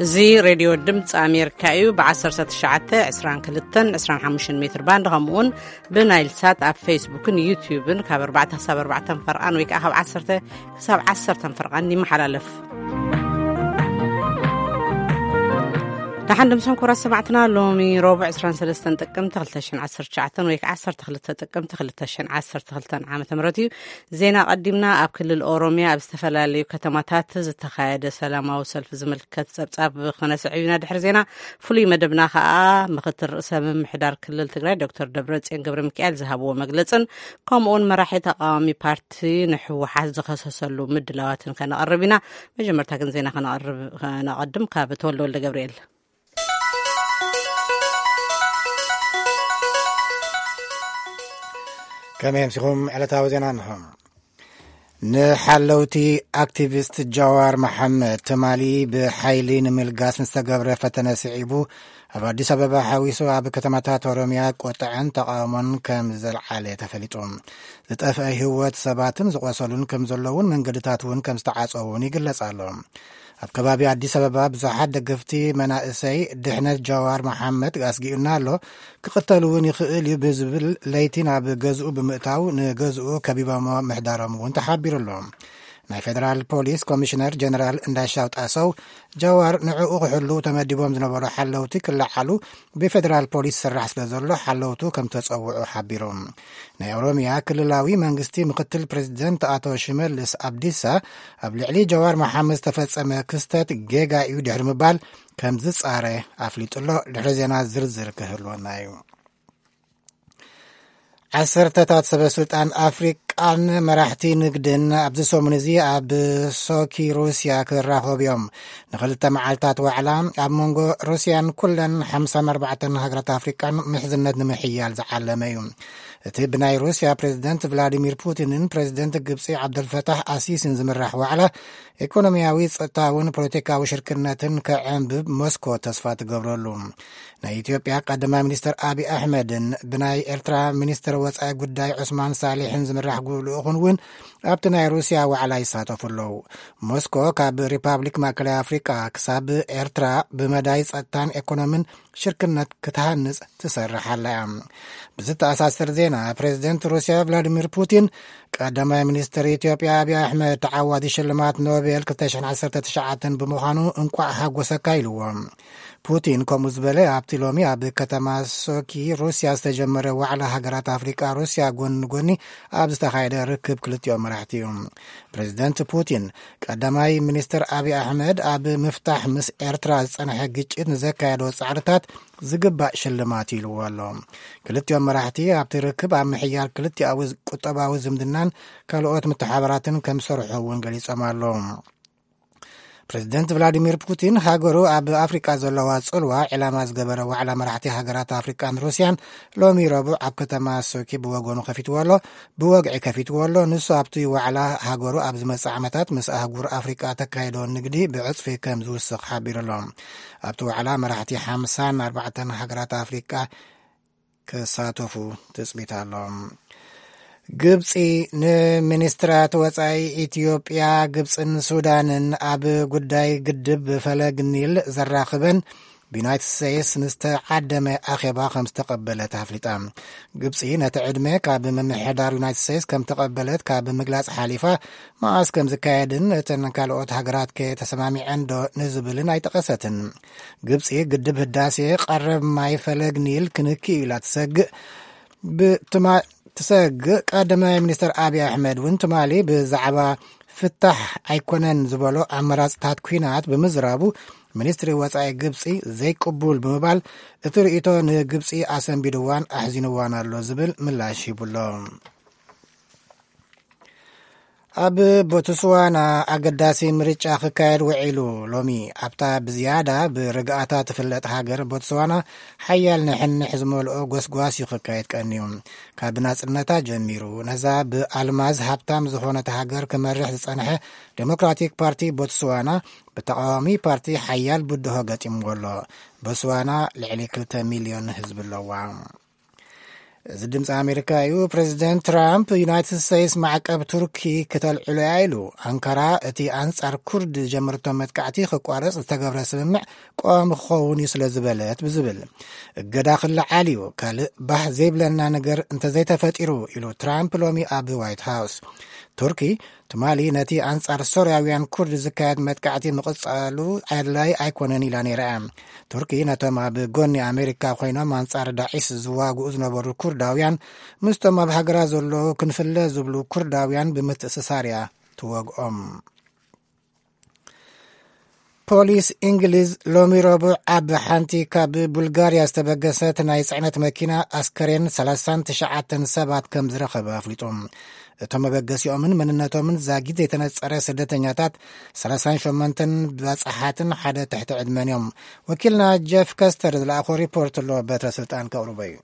እዚ ሬድዮ ድምፂ ኣሜሪካ እዩ። ብ19፣ 22፣ 25 ሜትር ባንድ፣ ከምኡውን ብናይል ሳት ኣብ ፌስቡክን ዩቲዩብን ካብ ኣርባዕተ ክሳብ ኣርባዕተ ፈርቓን ወይ ከዓ ካብ ዓሰርተ ክሳብ ዓሰርተ ፈርቓን ይመሓላለፍ። ደሓን ድምሶም ክቡራት ሰማዕትና፣ ሎሚ ረቡዕ ዕስራን ሰለስተን ጥቅምቲ ክልተ ሽሕን ዓሰርተ ትሽዓተን ወይ ከዓ ዓሰርተ ክልተ ጥቅምቲ ክልተ ሽሕን ዓሰርተ ክልተን ዓመተ ምህረት እዩ። ዜና ቀዲምና። ኣብ ክልል ኦሮሚያ ኣብ ዝተፈላለዩ ከተማታት ዝተኻየደ ሰላማዊ ሰልፊ ዝምልከት ጸብጻብ ክነስዕብ ኢና። ድሕሪ ዜና ፍሉይ መደብና ከኣ ምክትል ርእሰ ምምሕዳር ክልል ትግራይ ዶክተር ደብረጽዮን ገብረ ሚካኤል ዝሃብዎ መግለጽን ከምኡውን መራሒ ተቃዋሚ ፓርቲ ንህወሓት ዝኸሰሰሉ ምድላዋትን ከነቐርብ ኢና። መጀመርታ ግን ዜና ከነቐርብ፣ ከነቐድም ካብ ተወልደ ወልደ ገብርኤል። ከመይ ኣምሲኹም? ዕለታዊ ዜና እንሆ። ንሓለውቲ ኣክቲቪስት ጃዋር መሓመድ ትማሊ ብሓይሊ ንምልጋስ ንዝተገብረ ፈተነ ስዒቡ፣ ኣብ ኣዲስ ኣበባ ሓዊሱ ኣብ ከተማታት ኦሮምያ ቁጥዐን ተቃውሞን ከም ዘልዓለ ተፈሊጡ። ዝጠፍአ ህይወት ሰባትን ዝቆሰሉን ከም ዘለውን መንገድታት እውን ከም ዝተዓጸውን ይግለጽ ኣሎ። ኣብ ከባቢ ኣዲስ ኣበባ ብዙሓት ደገፍቲ መናእሰይ ድሕነት ጃዋር መሓመድ ኣስጊኡና ኣሎ፣ ክቕተል እውን ይኽእል እዩ ብዝብል ለይቲ ናብ ገዝኡ ብምእታው ንገዝኡ ከቢቦሞ ምሕዳሮም እውን ተሓቢሩ ኣሎ። ናይ ፌደራል ፖሊስ ኮሚሽነር ጀነራል እንዳሻው ጣሰው ጃዋር ንዕኡ ክሕሉ ተመዲቦም ዝነበሩ ሓለውቲ ክለዓሉ ብፌደራል ፖሊስ ስራሕ ስለ ዘሎ ሓለውቱ ከም ተጸውዑ ሓቢሩ። ናይ ኦሮሚያ ክልላዊ መንግስቲ ምክትል ፕሬዚደንት ኣቶ ሽመልስ ኣብዲሳ ኣብ ልዕሊ ጃዋር መሓመድ ዝተፈጸመ ክስተት ጌጋ እዩ ድሕሪ ምባል ከም ዝጻረ ኣፍሊጡ ኣሎ። ድሕሪ ዜና ዝርዝር ክህልወና እዩ። ዓሰርተታት ሰበ ስልጣን ኣፍሪቃን መራሕቲ ንግድን ኣብዚ ሰሙን እዚ ኣብ ሶኪ ሩስያ ክራኸቡ እዮም። ንክልተ መዓልታት ዋዕላ ኣብ መንጎ ሩስያን ኩለን ሓምሳን ኣርባዕተን ሃገራት ኣፍሪቃን ምሕዝነት ንምሕያል ዝዓለመ እዩ። እቲ ብናይ ሩስያ ፕሬዚደንት ቭላዲሚር ፑቲንን ፕሬዚደንት ግብፂ ዓብደልፈታሕ ኣሲሲን ዝምራሕ ዋዕላ፣ ኢኮኖሚያዊ፣ ጸጥታውን ፖለቲካዊ ሽርክነትን ከዕንብብ ሞስኮ ተስፋ ትገብረሉ። ናይ ኢትዮጵያ ቀዳማይ ሚኒስትር ኣቢ ኣሕመድን ብናይ ኤርትራ ሚኒስትር ወጻኢ ጉዳይ ዑስማን ሳሊሕን ዝምራሕ ልኡኹን እውን ኣብቲ ናይ ሩስያ ዋዕላ ይሳተፉ ኣለዉ። ሞስኮ ካብ ሪፓብሊክ ማእከላይ ኣፍሪቃ ክሳብ ኤርትራ ብመዳይ ጸጥታን ኤኮኖምን ሽርክነት ክትሃንጽ ትሰርሕ ኣላ እያ። ብዝተኣሳሰር ዜና፣ ፕሬዚደንት ሩስያ ቭላዲሚር ፑቲን ቀዳማይ ሚኒስትር ኢትዮጵያ ኣቢ ኣሕመድ ተዓዋቲ ሽልማት ኖቤል ክልተ ሽሕን ዓሰርተ ትሽዓተን ብምዃኑ እንቋዕ ሓጎሰካ ኢልዎ። ፑቲን ከምኡ ዝበለ ኣብቲ ሎሚ ኣብ ከተማ ሶኪ ሩስያ ዝተጀመረ ዋዕላ ሃገራት ኣፍሪቃ ሩስያ ጎኒ ንጎኒ ኣብ ዝተኻየደ ርክብ ክልቲኦም መራሕቲ እዩ። ፕሬዚደንት ፑቲን ቀዳማይ ሚኒስትር ኣቢ ኣሕመድ ኣብ ምፍታሕ ምስ ኤርትራ ዝጸንሐ ግጭት ንዘካየዶ ጻዕርታት ዝግባእ ሽልማት ኢልዎ ኣሎ። ክልቲኦም መራሕቲ ኣብቲ ርክብ ኣብ ምሕያል ክልቲኣዊ ቁጠባዊ ዝምድናን ካልኦት ምትሓባራትን ከም ዝሰርሑ እውን ገሊጾም ኣለዉ። ፕሬዚደንት ቭላዲሚር ፑቲን ሃገሩ ኣብ ኣፍሪቃ ዘለዋ ጽልዋ ዕላማ ዝገበረ ዋዕላ መራሕቲ ሃገራት ኣፍሪቃን ሩስያን ሎሚ ረቡዕ ኣብ ከተማ ሶኪ ብወገኑ ከፊትዎ ኣሎ፣ ብወግዒ ከፊትዎ ኣሎ። ንሱ ኣብቲ ዋዕላ ሃገሩ ኣብ ዝመጽእ ዓመታት ምስ ኣህጉር ኣፍሪቃ ተካይዶ ንግዲ ብዕጽፊ ከም ዝውስኽ ሓቢሩ ኣሎ። ኣብቲ ዋዕላ መራሕቲ ሓምሳን ኣርባዕተን ሃገራት ኣፍሪቃ ክሳተፉ ትጽቢት ኣሎ። ግብጺ ንሚኒስትራት ወጻኢ ኢትዮጵያ፣ ግብጽን ሱዳንን ኣብ ጉዳይ ግድብ ፈለግ ኒል ዘራኽበን ብዩናይትድ ስቴትስ ንዝተዓደመ ኣኼባ ከም ዝተቐበለት ኣፍሊጣ። ግብጺ ነቲ ዕድመ ካብ ምምሕዳር ዩናይትድ ስቴትስ ከም ተቐበለት ካብ ምግላጽ ሓሊፋ፣ መዓስ ከም ዝካየድን እተን ካልኦት ሃገራት ከ ተሰማሚዐን ዶ ንዝብልን ኣይጠቐሰትን። ግብጺ ግድብ ህዳሴ ቀረብ ማይ ፈለግ ኒል ክንኪ ኢላ ትሰግእ። ብትማ-፣ ትሰግእ። ቀዳማይ ሚኒስትር ኣቢ ኣሕመድ እውን ትማሊ ብዛዕባ ፍታሕ ኣይኮነን ዝበሎ ኣመራጽታት ኲናት ብምዝራቡ፣ ሚኒስትሪ ወጻኢ ግብጺ ዘይቅቡል ብምባል፣ እቲ ርእይቶ ንግብጺ ኣሰንቢድዋን ኣሕዚንዋን ኣሎ ዝብል ምላሽ ሂቡሎ። ኣብ ቦትስዋና ኣገዳሲ ምርጫ ክካየድ ውዒሉ። ሎሚ ኣብታ ብዝያዳ ብርግኣታ ትፍለጥ ሃገር ቦትስዋና፣ ሓያል ንሕንሕ ዝመልኦ ጎስጓስ እዩ ክካየድ ቀንዩ። ካብ ናጽነታ ጀሚሩ፣ ነዛ ብኣልማዝ ሃብታም ዝኾነት ሃገር ክመርሕ ዝጸንሐ ዴሞክራቲክ ፓርቲ ቦትስዋና፣ ብተቃዋሚ ፓርቲ ሓያል ብድሆ ገጢምዎ ኣሎ። ቦትስዋና ልዕሊ ክልተ ሚልዮን ህዝቢ ኣለዋ። እዚ ድምፂ ኣሜሪካ እዩ። ፕሬዚደንት ትራምፕ ዩናይትድ ስቴትስ ማዕቀብ ቱርኪ ክተልዕሎ እያ ኢሉ። ኣንካራ እቲ ኣንጻር ኩርድ ዝጀመረቶ መጥቃዕቲ ክቋረጽ ዝተገብረ ስምምዕ ቀዋሚ ክኸውን እዩ ስለ ዝበለት ብዝብል እገዳ ክለዓል እዩ። ካልእ ባህ ዘይብለና ነገር እንተዘይተፈጢሩ ኢሉ ትራምፕ ሎሚ ኣብ ዋይት ሃውስ። ቱርኪ ትማሊ ነቲ ኣንጻር ሶርያውያን ኩርድ ዝካየድ መጥቃዕቲ ምቕጻሉ ኣድላይ ኣይኮነን ኢላ ነይራ። ቱርኪ ነቶም ኣብ ጎኒ ኣሜሪካ ኮይኖም ኣንጻር ዳዒስ ዝዋግኡ ዝነበሩ ኩርዳውያን ምስቶም ኣብ ሃገራ ዘለዉ ክንፍለ ዝብሉ ኩርዳውያን ብምትእስሳር እያ ትወግኦም። ፖሊስ እንግሊዝ ሎሚ ረቡዕ ኣብ ሓንቲ ካብ ቡልጋርያ ዝተበገሰት ናይ ጽዕነት መኪና ኣስከሬን ሰላሳን ትሽዓተን ሰባት ከም ዝረኸበ ኣፍሊጡ። እቶም መበገሲኦምን መንነቶምን ዛጊት ዘይተነጸረ ስደተኛታት ሰላሳን ሸሞንተን ባጽሓትን ሓደ ትሕቲ ዕድመን እዮም። ወኪልና ጀፍ ከስተር ዝለኣኾ ሪፖርት ኣሎ፣ በትረ ስልጣን ከቕርቦ እዩ።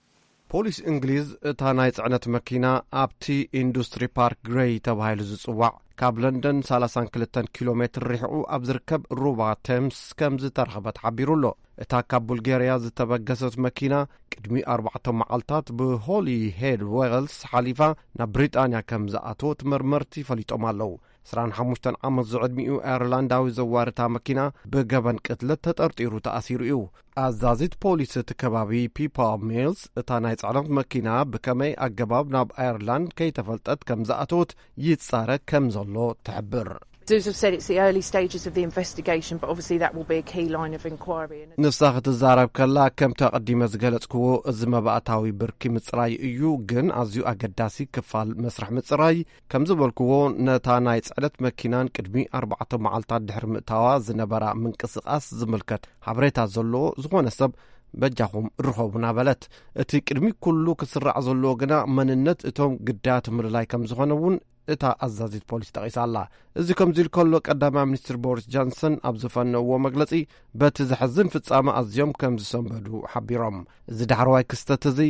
ፖሊስ እንግሊዝ እታ ናይ ጽዕነት መኪና ኣብቲ ኢንዱስትሪ ፓርክ ግሬይ ተባሂሉ ዝጽዋዕ ካብ ለንደን ሰላሳን ክልተን ኪሎ ሜትር ርሒቑ ኣብ ዝርከብ ሩባ ቴምስ ከም ዝተረኸበት ሓቢሩ ኣሎ። እታ ካብ ቡልጋርያ ዝተበገሰት መኪና ቅድሚ ኣርባዕተ መዓልታት ብሆሊ ሄድ ዌልስ ሓሊፋ ናብ ብሪጣንያ ከም ዝኣተወት መርመርቲ ፈሊጦም ኣለዉ። ዕስራን ሓሙሽተን ዓመት ዝዕድሚኡ ኣየርላንዳዊ ዘዋሪ እታ መኪና ብገበን ቅትለት ተጠርጢሩ ተኣሲሩ እዩ። ኣዛዚት ፖሊስ እቲ ከባቢ ፒፓ ሚልስ እታ ናይ ጽዕነት መኪና ብከመይ ኣገባብ ናብ ኣየርላንድ ከይተፈልጠት ከም ዝኣተወት ይጻረ ከም ዘሎ ትሕብር። Zoos have said it's the early stages of the investigation, but obviously that will be a key line of inquiry. And ንሳ ክትዛረብ ከላ፣ ከምቲ ኣቐዲመ ዝገለጽክዎ፣ እዚ መባእታዊ ብርኪ ምጽራይ እዩ፣ ግን ኣዝዩ ኣገዳሲ ክፋል መስርሕ ምጽራይ ከም ዝበልክዎ፣ ነታ ናይ ጽዕነት መኪናን ቅድሚ ኣርባዕተ መዓልታት ድሕሪ ምእታዋ ዝነበራ ምንቅስቓስ ዝምልከት ሓበሬታ ዘለዎ ዝኾነ ሰብ በጃኹም ርኸቡና በለት። እቲ ቅድሚ ኩሉ ክስራዕ ዘለዎ ግና መንነት እቶም ግዳያት ምልላይ ከም ዝኾነ እውን እታ ኣዛዚት ፖሊስ ጠቒሳ ኣላ። እዚ ከምዚ ኢሉ ከሎ፣ ቀዳማይ ሚኒስትር ቦሪስ ጆንሰን ኣብ ዝፈነውዎ መግለጺ፣ በቲ ዘሕዝን ፍጻመ ኣዝዮም ከም ዝሰንበዱ ሓቢሮም። እዚ ዳሕረዋይ ክስተት እዚ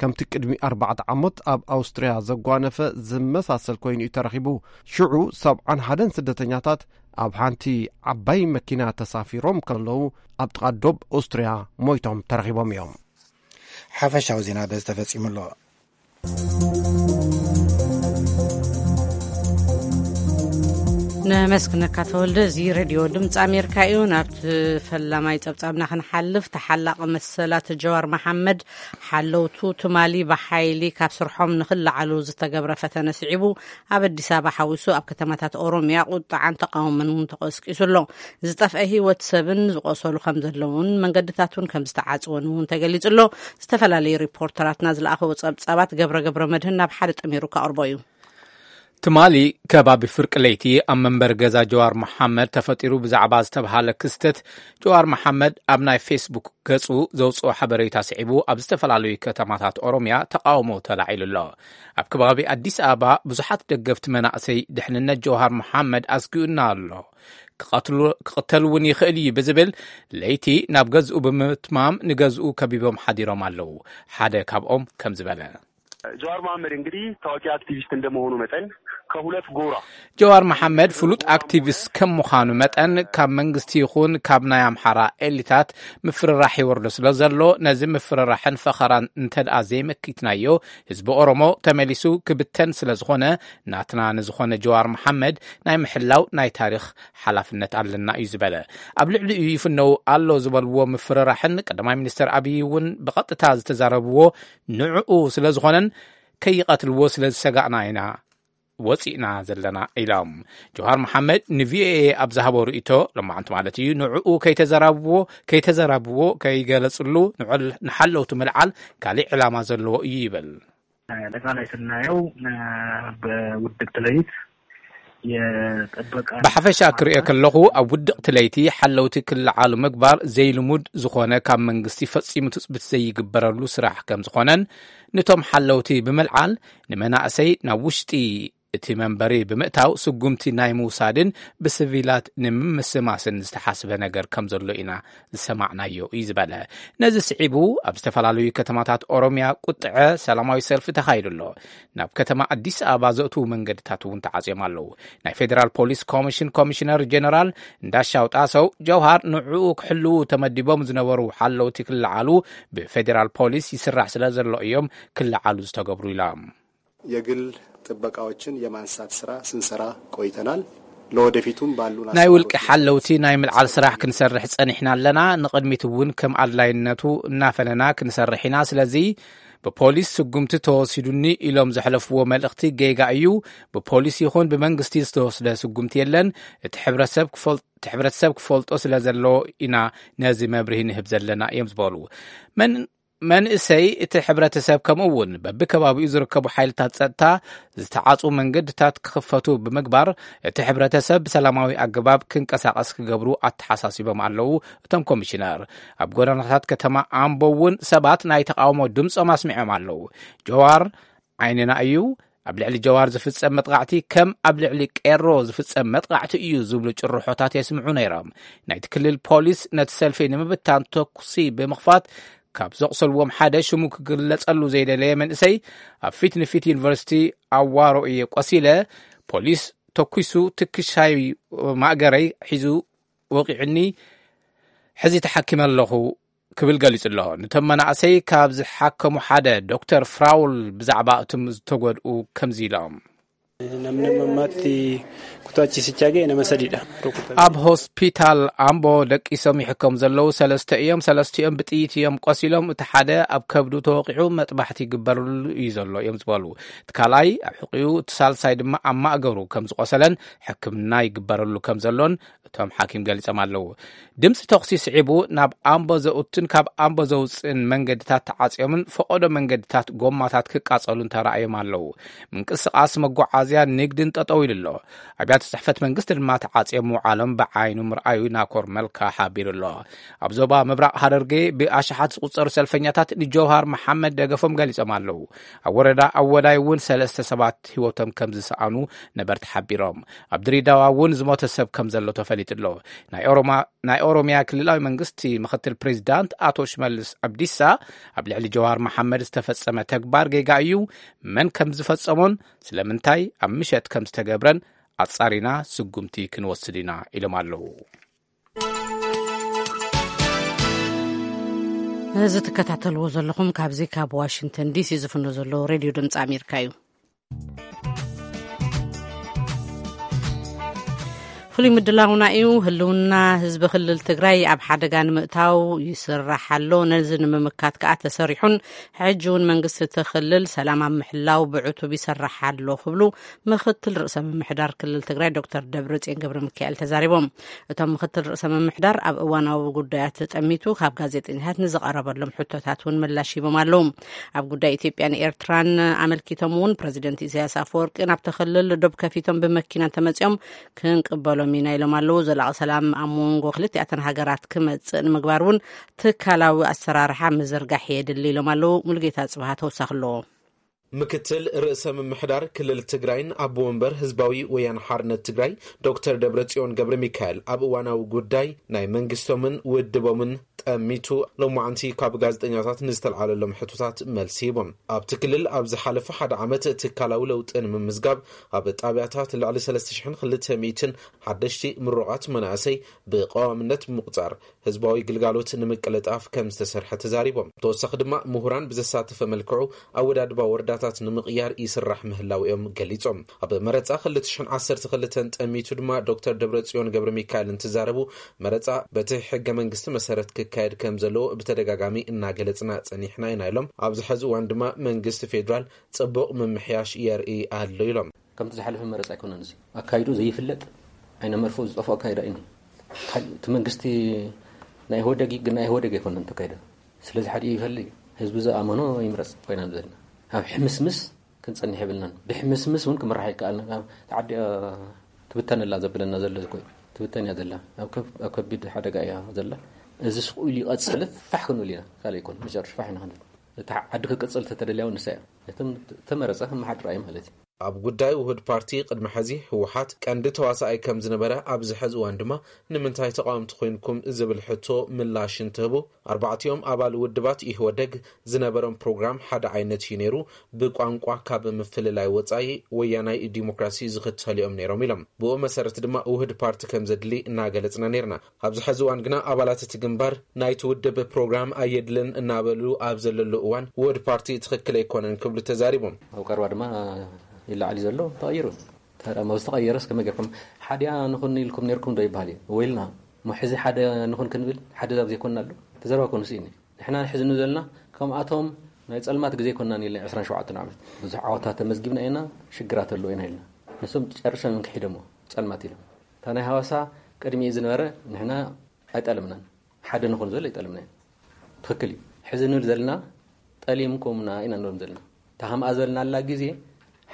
ከምቲ ቅድሚ ኣርባዕተ ዓመት ኣብ ኣውስትርያ ዘጓነፈ ዝመሳሰል ኮይኑ እዩ ተረኺቡ። ሽዑ ሰብዓን ሓደን ስደተኛታት ኣብ ሓንቲ ዓባይ መኪና ተሳፊሮም ከለዉ ኣብ ጥቓ ዶብ ኣውስትርያ ሞይቶም ተረኺቦም እዮም። ሓፈሻዊ ዜና በዚ ተፈጺሙ ኣሎ። ነመስግነካ ተወልደ። እዚ ሬድዮ ድምፂ ኣሜሪካ እዩ። ናብቲ ፈላማይ ጸብጻብና ክንሓልፍ፣ ተሓላቒ መሰላት ጀዋር መሓመድ ሓለውቱ ትማሊ ብሓይሊ ካብ ስርሖም ንኽለዓሉ ዝተገብረ ፈተነ ስዒቡ ኣብ ኣዲስ ኣበባ ሓዊሱ ኣብ ከተማታት ኦሮምያ ቁጥዓን ተቃውሞን እውን ተቀስቂሱ ኣሎ። ዝጠፍአ ህይወት ሰብን ዝቆሰሉ ከም ዘለውን መንገድታት እውን ከም ዝተዓጽወን እውን ተገሊጹ ኣሎ። ዝተፈላለዩ ሪፖርተራትና ዝለኣኸዎ ጸብጻባት ገብረ ገብረ መድህን ናብ ሓደ ጠሚሩ ከቕርቦ እዩ። ትማሊ ከባቢ ፍርቂ ለይቲ ኣብ መንበሪ ገዛ ጀዋር መሓመድ ተፈጢሩ ብዛዕባ ዝተብሃለ ክስተት፣ ጀዋር መሓመድ ኣብ ናይ ፌስቡክ ገጹ ዘውጽኦ ሓበሬታ ስዒቡ ኣብ ዝተፈላለዩ ከተማታት ኦሮምያ ተቃውሞ ተላዒሉ ኣሎ። ኣብ ከባቢ ኣዲስ ኣበባ ብዙሓት ደገፍቲ መናእሰይ ድሕንነት ጀውሃር መሓመድ ኣስጊኡና ኣሎ፣ ክቐትሉ-፣ ክቕተል እውን ይኽእል እዩ ብዝብል ለይቲ ናብ ገዝኡ ብምትማም ንገዝኡ ከቢቦም ሓዲሮም ኣለዉ። ሓደ ካብኦም ከም ዝበለ። ጀዋር መሐመድ እንግዲህ ታዋቂ አክቲቪስት እንደመሆኑ መጠን ከሁለት ጎራ ጀዋር መሐመድ ፍሉጥ ኣክቲቪስት ከም ምዃኑ መጠን ካብ መንግስቲ ይኹን ካብ ናይ ኣምሓራ ኤሊታት ምፍርራሕ ይወርዶ ስለ ዘሎ፣ ነዚ ምፍርራሕን ፈኸራን እንተ ደኣ ዘይመኪትናዮ፣ ህዝቢ ኦሮሞ ተመሊሱ ክብተን ስለ ዝኾነ፣ ናትና ንዝኾነ ጀዋር መሐመድ ናይ ምሕላው ናይ ታሪኽ ሓላፍነት ኣለና እዩ ዝበለ። ኣብ ልዕሊኡ ይፍነው ኣሎ ዝበልዎ ምፍርራሕን ቀዳማይ ሚኒስተር ኣብይ እውን ብቐጥታ ዝተዛረብዎ ንዕኡ ስለ ዝኾነን ከይቐትልዎ ስለ ዝሰጋእና ኢና ወፂእና ዘለና ኢሎም። ጀውሃር መሓመድ ንቪኦኤ ኣብ ዝሃቦ ርእይቶ፣ ሎማዕንቲ ማለት እዩ፣ ንዕኡ ከይተዘራብዎ፣ ከይተዘራብዎ፣ ከይገለጽሉ ንዕል-፣ ንሓለውቱ ምልዓል ካሊእ ዕላማ ዘለዎ እዩ ይብል። አጠቃላይ ስናየው፣ በውድቅት ሌሊት የጠበቃ ብሓፈሻ ክሪኦ ከለኹ፣ ኣብ ውድቕቲ ለይቲ ሓለውቲ ክለዓሉ ምግባር ዘይልሙድ ዝኾነ፣ ካብ መንግስቲ ፈጺሙ ትጽቢት ዘይግበረሉ ስራሕ ከም ዝኾነን፣ ነቶም ሓለውቲ ብምልዓል ንመናእሰይ ናብ ውሽጢ እቲ መንበሪ ብምእታው ስጉምቲ ናይ ምውሳድን ብስቪላት ንምምስማስን ዝተሓስበ ነገር ከም ዘሎ ኢና ዝሰማዕናዮ እዩ ዝበለ። ነዚ ስዒቡ ኣብ ዝተፈላለዩ ከተማታት ኦሮሚያ ቁጥዐ ሰላማዊ ሰልፊ ተኻይዱ ኣሎ። ናብ ከተማ ኣዲስ ኣበባ ዘእትዉ መንገድታት እውን ተዓጽዮም ኣለዉ። ናይ ፌዴራል ፖሊስ ኮሚሽን ኮሚሽነር ጀነራል እንዳሻው ጣሰው ጀውሃር ንዕኡ ክሕልዉ ተመዲቦም ዝነበሩ ሓለውቲ ክለዓሉ ብፌዴራል ፖሊስ ይስራሕ ስለ ዘሎ እዮም ክለዓሉ ዝተገብሩ ኢሎም። የግል ጥበቃዎችን የማንሳት ስራ ስንሰራ ቆይተናል። ለወደፊቱም ባሉ ናይ ውልቂ ሓለውቲ ናይ ምልዓል ስራሕ ክንሰርሕ ጸኒሕና ኣለና። ንቕድሚት እውን ከም ኣድላይነቱ እናፈነና ክንሰርሕ ኢና። ስለዚ ብፖሊስ ስጉምቲ ተወሲዱኒ ኢሎም ዘሕለፍዎ መልእኽቲ ጌጋ እዩ። ብፖሊስ ይኹን ብመንግስቲ ዝተወስደ ስጉምቲ የለን። እቲ ሕብረተሰብ ክፈል- እቲ ሕብረተሰብ ክፈልጦ ስለ ዘለዎ ኢና ነዚ መብርሂ ንህብ ዘለና እዮም ዝበሉ። መን- መንእሰይ እቲ ሕብረተሰብ ከምኡ እውን በብከባቢኡ ዝርከቡ ሓይልታት ጸጥታ ዝተዓጹ መንገድታት ክኽፈቱ ብምግባር እቲ ሕብረተሰብ ብሰላማዊ ኣገባብ ክንቀሳቐስ ክገብሩ ኣተሓሳሲቦም ኣለዉ። እቶም ኮሚሽነር ኣብ ጎደናታት ከተማ ኣምቦ እውን ሰባት ናይ ተቃውሞ ድምጾም ኣስሚዖም ኣለዉ። ጀዋር ዓይንና እዩ፣ ኣብ ልዕሊ ጀዋር ዝፍጸም መጥቃዕቲ ከም ኣብ ልዕሊ ቄሮ ዝፍጸም መጥቃዕቲ እዩ ዝብሉ ጭርሖታት የስምዑ ነይሮም። ናይቲ ክልል ፖሊስ ነቲ ሰልፊ ንምብታን ተኩሲ ብምኽፋት ካብ ዘቑሰልዎም ሓደ ሽሙ ክግለጸሉ ዘይደለየ መንእሰይ ኣብ ፊት ንፊት ዩኒቨርሲቲ ኣዋሮ እየ ቆሲለ፣ ፖሊስ ተኩሱ ትክሻይ ማእገረይ ሒዙ ወቂዑኒ፣ ሕዚ ተሓኪመ ኣለኹ ክብል ገሊጹ ኣሎ። ነቶም መናእሰይ ካብ ዝሓከሙ ሓደ ዶክተር ፍራውል ብዛዕባ እቶም ዝተጎድኡ ከምዚ ኢሎም። Namni ammatti kutaachi sichaagee nama sadiidha. ኣብ ሆስፒታል ኣምቦ ደቂሶም ይሕከሙ ዘለዉ ሰለስተ እዮም። ሰለስቲኦም ብጥይት እዮም ቆሲሎም። እቲ ሓደ ኣብ ከብዱ ተወቂዑ መጥባሕቲ ይግበረሉ እዩ ዘሎ እዮም ዝበሉ። እቲ ካልኣይ ኣብ ሕቂኡ፣ እቲ ሳልሳይ ድማ ኣብ ማእገሩ ከም ዝቆሰለን ሕክምና ይግበረሉ ከም ዘሎን እቶም ሓኪም ገሊጾም ኣለዉ። ድምፂ ተኹሲ ስዒቡ ናብ ኣምቦ ዘእቱን ካብ ኣምቦ ዘውፅእን መንገድታት ተዓፅዮምን ፈቐዶ መንገድታት ጎማታት ክቃፀሉን ተራእዮም ኣለዉ። ምንቅስቓስ መጓዓዝያ ንግድን ጠጠው ኢሉ ኣሎ። ኣብያተ ፅሕፈት መንግስቲ ድማ ተዓፅዮም ምውዓሎም ብዓይኑ ምርኣዩ ናኮር መልካ ሓቢሩ ኣሎ። ኣብ ዞባ ምብራቕ ሃረርጌ ብኣሽሓት ዝቑፀሩ ሰልፈኛታት ንጀውሃር መሓመድ ደገፎም ገሊጾም ኣለዉ። ኣብ ወረዳ ኣወዳይ እውን ሰለስተ ሰባት ህይወቶም ከም ዝሰኣኑ ነበርቲ ሓቢሮም። ኣብ ድሬዳዋ እውን ዝሞተ ሰብ ከም ዘሎ ተፈሊጡ ኣሎ። ናይ ኦሮማ- ናይ ኦሮሚያ ክልላዊ መንግስቲ ምክትል ፕሬዚዳንት ኣቶ ሽመልስ ኣብዲሳ ኣብ ልዕሊ ጀዋር መሓመድ ዝተፈጸመ ተግባር ጌጋ እዩ፣ መን ከም ዝፈጸሞን ስለምንታይ ኣብ ምሸት ከም ዝተገብረን ኣጻሪና ስጉምቲ ክንወስድ ኢና ኢሎም ኣለዉ። እዚ ትከታተልዎ ዘለኹም ካብዚ ካብ ዋሽንግተን ዲሲ ዝፍኖ ዘሎ ሬድዮ ድምፂ ኣሜሪካ እዩ። ፍሉይ ምድላውና እዩ። ህልውና ህዝቢ ክልል ትግራይ ኣብ ሓደጋ ንምእታው ይስራሕ ኣሎ። ነዚ ንምምካት ከኣ ተሰሪሑን ሕጂ እውን መንግስቲ እቲ ክልል ሰላም ኣብ ምሕላው ብዕቱብ ይሰርሕ ኣሎ ክብሉ ምክትል ርእሰ ምምሕዳር ክልል ትግራይ ዶክተር ደብረጽዮን ገብረ ሚካኤል ተዛሪቦም። እቶም ምክትል ርእሰ ምምሕዳር ኣብ እዋናዊ ጉዳያት ጠሚቱ ካብ ጋዜጠኛታት ንዝቐረበሎም ሕቶታት እውን ምላሽ ሂቦም ኣለዉ። ኣብ ጉዳይ ኢትዮጵያን ኤርትራን ኣመልኪቶም እውን ፕረዚደንት ኢሳያስ ኣፈወርቂ ናብቲ ክልል ዶብ ከፊቶም ብመኪና እንተመጺኦም ክንቅበሎም ኢና ኢሎም ኣለዉ። ዘላቒ ሰላም ኣብ መንጎ ክልቲኣተን ሃገራት ክመጽእ ንምግባር እውን ትካላዊ ኣሰራርሓ ምዝርጋሕ የድሊ ኢሎም ኣለዉ። ሙሉጌታ ጽብሃ ተወሳኺ ኣለዎ። ምክትል ርእሰ ምምሕዳር ክልል ትግራይን ኣቦ ወንበር ህዝባዊ ወያነ ሓርነት ትግራይ ዶክተር ደብረጽዮን ገብረ ሚካኤል ኣብ እዋናዊ ጉዳይ ናይ መንግስቶምን ውድቦምን ጠሚቱ ሎማዓንቲ ካብ ጋዜጠኛታት ንዝተልዓለሎም ሕቶታት መልሲ ሂቦም። ኣብቲ ክልል ኣብ ዝሓለፈ ሓደ ዓመት ትካላዊ ለውጢ ንምምዝጋብ ኣብ ጣብያታት ልዕሊ ሰለስተ ሽሕን ክልተ ሚእትን ሓደሽቲ ምሩቓት መናእሰይ ብቀዋምነት ብምቁፃር ህዝባዊ ግልጋሎት ንምቅልጣፍ ከም ዝተሰርሐ ተዛሪቦም። ተወሳኺ ድማ ምሁራን ብዘሳተፈ መልክዑ ኣወዳድባ ወረዳታት ንምቕያር ይስራሕ ምህላው እዮም ገሊጾም። ኣብ መረፃ ክልተ ሽሕን ዓሰርተ ክልተን ጠሚቱ ድማ ዶክተር ደብረጽዮን ገብረ ሚካኤል እንትዛረቡ መረፃ በቲ ሕገ መንግስቲ መሰረት ክካየድ ከም ዘለዎ ብተደጋጋሚ እናገለጽና ጸኒሕና ኢና ኢሎም። ኣብዚ ሕዚ እዋን ድማ መንግስቲ ፌዴራል ጽቡቕ ምምሕያሽ የርኢ ኣሎ ኢሎም። ከምቲ ዝሓለፈ መረፃ ኣይኮነን። እዚ ኣካይዶ ዘይፍለጥ ዓይነ መርፍኡ ዝጠፍኦ ኣካይዳ እዩ። እቲ መንግስቲ ናይ ኢህወደግ ግን ናይ ኢህወደግ ኣይኮነን ተካይደ። ስለዚ ሓደ ይፈሊ ህዝቢ ዝኣመኖ ይምረፅ ኮይና ዘለና ኣብ ሕምስምስ ክንፀንሕ የብልናን። ብሕምስምስ እውን ክምራሕ ይከኣልና። ተዓዲ ትብተን ኣላ ዘብለና ዘሎ እኮ እዩ። ትብተን እያ ዘላ። ኣብ ከቢድ ሓደጋ እያ ዘላ። እዚ ስቕ ኢሉ ይቐፅል ፋሕ ክንብል ኢና። ካልእ ኣይኮን መጨረሽ ፋሕ ኢና ክንብል። እቲ ዓዲ ክቅፅል ተተደልያ እውን ንሳ እያ። እቶም ተመረፀ ክመሓድራ እዩ ማለት እዩ። ኣብ ጉዳይ ውህድ ፓርቲ ቅድሚ ሕዚ ህወሓት ቀንዲ ተዋሳኣይ ከም ዝነበረ፣ ኣብዚ ሕዚ እዋን ድማ ንምንታይ ተቃወምቲ ኮይንኩም ዝብል ሕቶ ምላሽ እንትህቡ፣ ኣርባዕቲኦም ኣባል ውድባት ኢህወደግ ዝነበሮም ፕሮግራም ሓደ ዓይነት እዩ ነይሩ። ብቋንቋ ካብ ምፍልላይ ወጻኢ ወያናይ ዲሞክራሲ ዝኽተሉ እዮም ነይሮም ኢሎም። ብኡ መሰረት ድማ ውህድ ፓርቲ ከም ዘድሊ እናገለጽና ነይርና። ኣብዚ ሕዚ እዋን ግና ኣባላት እቲ ግንባር ናይቲ ውድብ ፕሮግራም ኣየድልን እናበሉ ኣብ ዘለሉ እዋን ውህድ ፓርቲ ትኽክል ኣይኮነን ክብሉ ተዛሪቦም። ኣብ ቀረባ ድማ ይለዓል ዘሎ ተቐይሩ። ታዲያ መብዝ ተቐየረስ ከመይ ጌርኩም ሓዲያ ንኹን ኢልኩም ነርኩም ዶ ይበሃል እዩ? ወይልና እሞ ሕዚ ሓደ ንኹን ክንብል ሓደ ዛብ ዘይኮንና ኣሎ ተዘረባ ኮኑ ስኢኒ ንሕና ንሕዚ ንዘልና ከምኣቶም ናይ ጸልማት ግዜ ኮንና ኢልና ዕስራን ሸውዓተን ዓመት ብዙሕ ዓወታት ተመዝጊብና ኢና። ሽግራት ኣለዎ ኢና ኢልና ንሶም ጨርሶም እዮም ክሒደሞ ጸልማት ኢሎም። እታ ናይ ሃዋሳ ቅድሚኡ ዝነበረ ንሕና ኣይጠለምናን ሓደ ንኹን ዘሎ ኣይጠለምና ኢና። ትኽክል እዩ። ሕዚ ንብል ዘለና ጠሊምኩምና ኢና ንብሎም ዘለና። እታ ከምኣ ዝበልናላ ግዜ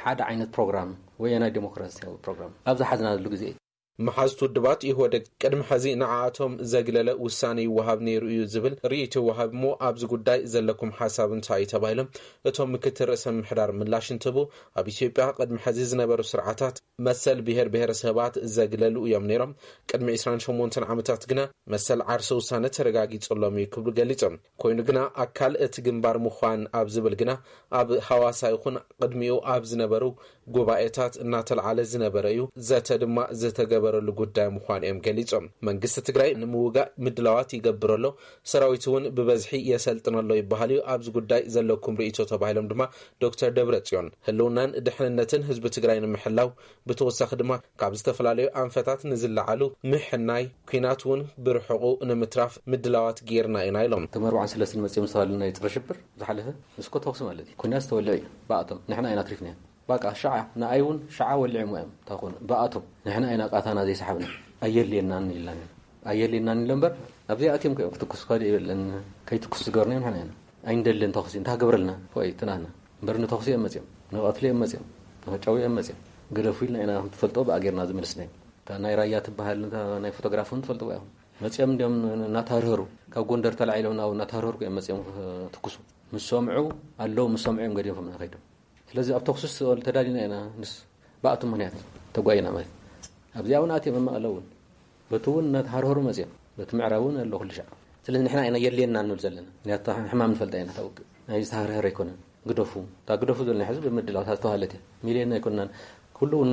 ሓደ ዓይነት ፕሮግራም ወያናይ ዴሞክራሲያዊ ፕሮግራም ኣብ ዝሓዝናሉ ግዜ እዩ። መሓዝቲ ውድባት ኢህወደግ ቅድሚ ሕዚ ንዓኣቶም ዘግለለ ውሳነ ይወሃብ ነይሩ እዩ ዝብል ርእይቶ ይወሃብ እሞ ኣብዚ ጉዳይ ዘለኩም ሓሳብ እንታይ እዩ ተባሂሎም እቶም ምክትል ርእሰ ምምሕዳር ምላሽ እንትህቡ ኣብ ኢትዮጵያ ቅድሚ ሕዚ ዝነበሩ ስርዓታት መሰል ብሔር ብሔረሰባት ዘግለሉ እዮም ነይሮም። ቅድሚ ዕስራን ሸሞንተን ዓመታት ግና መሰል ዓርሰ ውሳነ ተረጋጊጹሎም እዩ ክብሉ ገሊጾም። ኮይኑ ግና ኣካል እቲ ግንባር ምዃን ኣብ ዝብል ግና ኣብ ሃዋሳ ይኹን ቅድሚኡ ኣብ ዝነበሩ ጉባኤታት እናተልዓለ ዝነበረ እዩ። ዘተ ድማ ዝተገበረሉ ጉዳይ ምዃኑ እዮም ገሊጾም። መንግስቲ ትግራይ ንምውጋእ ምድላዋት ይገብር ኣሎ፣ ሰራዊት እውን ብበዝሒ የሰልጥን ኣሎ ይበሃል እዩ። ኣብዚ ጉዳይ ዘለኩም ርእይቶ ተባሂሎም ድማ ዶክተር ደብረጽዮን ህልውናን ድሕንነትን ህዝቢ ትግራይ ንምሕላው ብተወሳኺ ድማ ካብ ዝተፈላለዩ ኣንፈታት ንዝለዓሉ ምሕናይ ኲናት እውን ብርሑቑ ንምትራፍ ምድላዋት ጌርና ኢና ኢሎም። እቶም ኣርባዓን ሰለስተን መጺኦም ዝተባህሉ ናይ ጸረ ሽብር ዝሓለፈ ንስኮ ተኹሲ ማለት እዩ። ኲናት ዝተወልዐ እዩ ብኣቶም ንሕና ኢና ኣትሪፍናዮ። ባቃ ሸዓ ንኣይ እውን ሸዓ ወሊዖም እዮም ታኾኑ ብኣቶም ንሕና ኢና ቃታና ዘይሰሓብና ኣየድልየናን ኢልናን ኢና ኣየድልየናን ኢሎ እምበር ኣብዚኣ ኣትዮም እዮም ክትኩስ ካልእ የለን። ከይትኩስ ዝገበርናዮም ንሕና ኢና ኣይንደልን ተኹሲ እንታይ ክገብረልና ፎይ ትናና እምበር ንተኹሲ እዮም መፅዮም ንቐትሊ እዮም መፅዮም ንኸጫው እዮም መፅዮም ግደፉ ኢልና ኢና ትፈልጦ ብኣጌርና ዝመልስናዮም እታ ናይ ራያ ትበሃል እታ ናይ ፎቶግራፍ እውን ትፈልጥዋ ኢኹም መፅዮም እንዲዮም እናተሃርሀሩ ካብ ጎንደር ተላዒሎም ናብ እናተሃርሀሩ እዮም መፅዮም ትኩሱ ምስ ሰምዑ ኣለዉ ምስ ሰምዑ እዮም ገዲፎም ከይዶም ስለዚ ኣብ ተኹሲ ተዳሊና ኢና ምስ ብኣቱ ምክንያት ተጓይና ማለት ኣብዚኣ እውን ኣትዮም መቐለ እውን በቲ እውን እናተሃርሀሩ መፅዮም በቲ ምዕራብ እውን ኣሎ ኩሉ ሻዕ ስለዚ ንሕና ኢና የድልየና ንብል ዘለና ምክንያቱ ሕማም ንፈልጣ ኢና ታውግእ ናይ ዝተሃርሀረ ኣይኮነን ግደፉ እታ ግደፉ ዘለና ሕዚ ብምድላው እታ ዝተባሃለት እያ ሚልዮን ኣይኮንናን ኩሉ እውን